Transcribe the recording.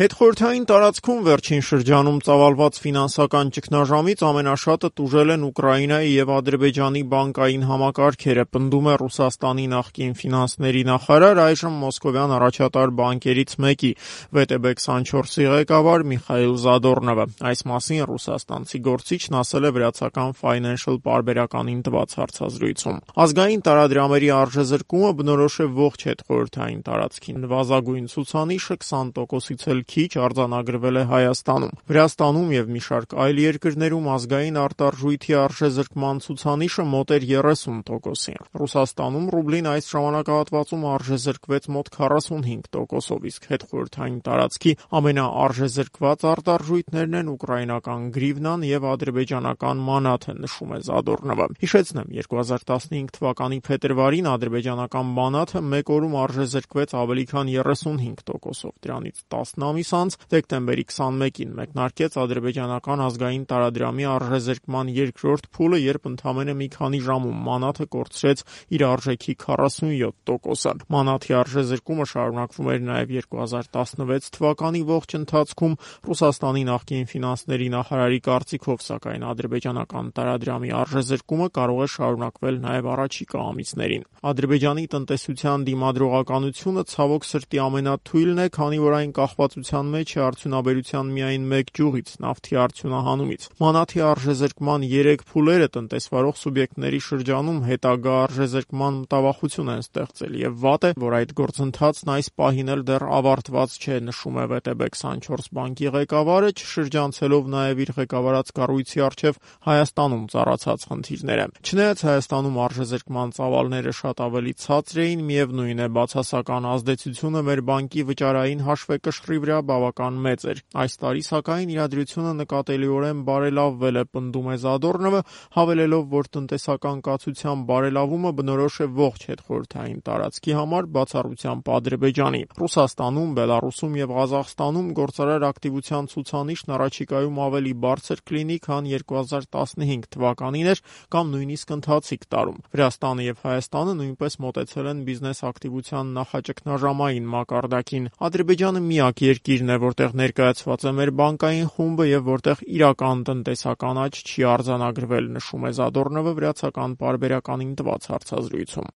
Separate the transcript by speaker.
Speaker 1: Հետխորհրդային տարածքում վերջին շրջանում ծավալված ֆինանսական ճգնաժամից ամենաշատը տուժել են Ուկրաինայի և Ադրբեջանի բանկային համակարգերը, պնդում է Ռուսաստանի նախկին ֆինանսների նախարար, այժմ մոսկովյան առաջատար բանկերից մեկի VTB24-ի ղեկավար Միխայիլ Զադորնովը։ Այս մասին ռուսաստանցի գործիչն ասել է վրացական Financial պարբերականին տված հարցազրույցում։ Ազգային տարադրամերի արժեզրկումը բնորոշ է ողջ հետխորհրդային տարածքին։ Նվազագույն ցուցանիշը 20%-ից էլ քիչ արձանագրվել է Հայաստանում։ Վրաստանում և մի շարք այլ երկրներում ազգային արտարժույթի արժեզրկման ցուցանիշը մոտ էր 30%-ի։ Ռուսաստանում ռուբլին այս ժամանակահատվածում արժեզրկվեց մոտ 45%-ով, իսկ հետխորհրդային տարածքի ամենաարժեզրկված արտարժույթներն են ուկրաինական գրիվնան և ադրբեջանական մանաթը, նշում է Զադորնովը։ Հիշեցնեմ, 2015 թվականի փետրվարին ադրբեջանական մանաթը մեկ օրում արժեզրկվեց ավելի քան 35%-ով, դրանից 10 ամիս անց դեկտեմբերի 21-ին մեկնարկեց ադրբեջանական ազգային տարադրամի արժեզրկման երկրորդ փուլը, երբ ընդամենը մի քանի ժամում մանաթը կորցրեց իր արժեքի 47%-ը։ Մանաթի արժեզրկումը շարունակվում էր նաև 2016 թվականի ողջ ընթացքում։ Ռուսաստանի նախկին ֆինանսների նախարարի կարծիքով, սակայն ադրբեջանական տարադրամի արժեզրկումը կարող է շարունակվել նաև առաջիկա ամիսներին։ Ադրբեջանի տնտեսության դիմադրողականությունը ցավոք սրտի ամենաթույլն է, քանի որ այն կախվածության մեջ է արդյունաբերության միայն մեկ ճյուղից՝ նավթի արդյունահանումից։ Մանաթի արժեզրկման 3 փուլերը տնտեսվարող սուբյեկտների շրջանում հետագա արժեզրկման մտավախություն են ստեղծել, և վատ է, որ այդ գործընթացն այս պահին էլ դեռ ավարտված չէ, նշում է VTB24 բանկի ղեկավարը, չշրջանցելով նաև իր ղեկավարած կառույցի առջև Հայաստանում ծառացած խնդիրները։ Չնայած Հայաստանում արժեզրկման ծավալները շատ ավելի ցածր էին, միևնույն է, բացասական ազդեցությունը մեր բանկի վճարային հաշվեկշռի վրա բավական մեծ էր։ Այս տարի, սակայն, իրադրությունը նկատելիորեն բարելավվել է, պնդում է Զադորնովը, հավելելով, որ տնտեսական կացության բարելավումը բնորոշ է ողջ հետխորհրդային տարածքի համար, բացառությամբ Ադրբեջանի։ Ռուսաստանում, Բելառուսում և Ղազախստանում գործարար ակտիվության ցուցանիշն առաջիկայում ավելի բարձր կլինի, քան 2015 թվականին էր կամ նույնիսկ ընթացիկ տարում։ Վրաստանը և Հայաստանը նույնպես մոտեցել են բիզնես ակտիվության նախաճգնաժամային մակարդակին։ Ադրբեջանը միակ երկիրն է, որտեղ ներկայացված է մեր բանկային խումբը և որտեղ իրական տնտեսական աճ չի արձանագրվել, նշում է Զադորնովը վրացական պարբերականին տված հարցազրույցում։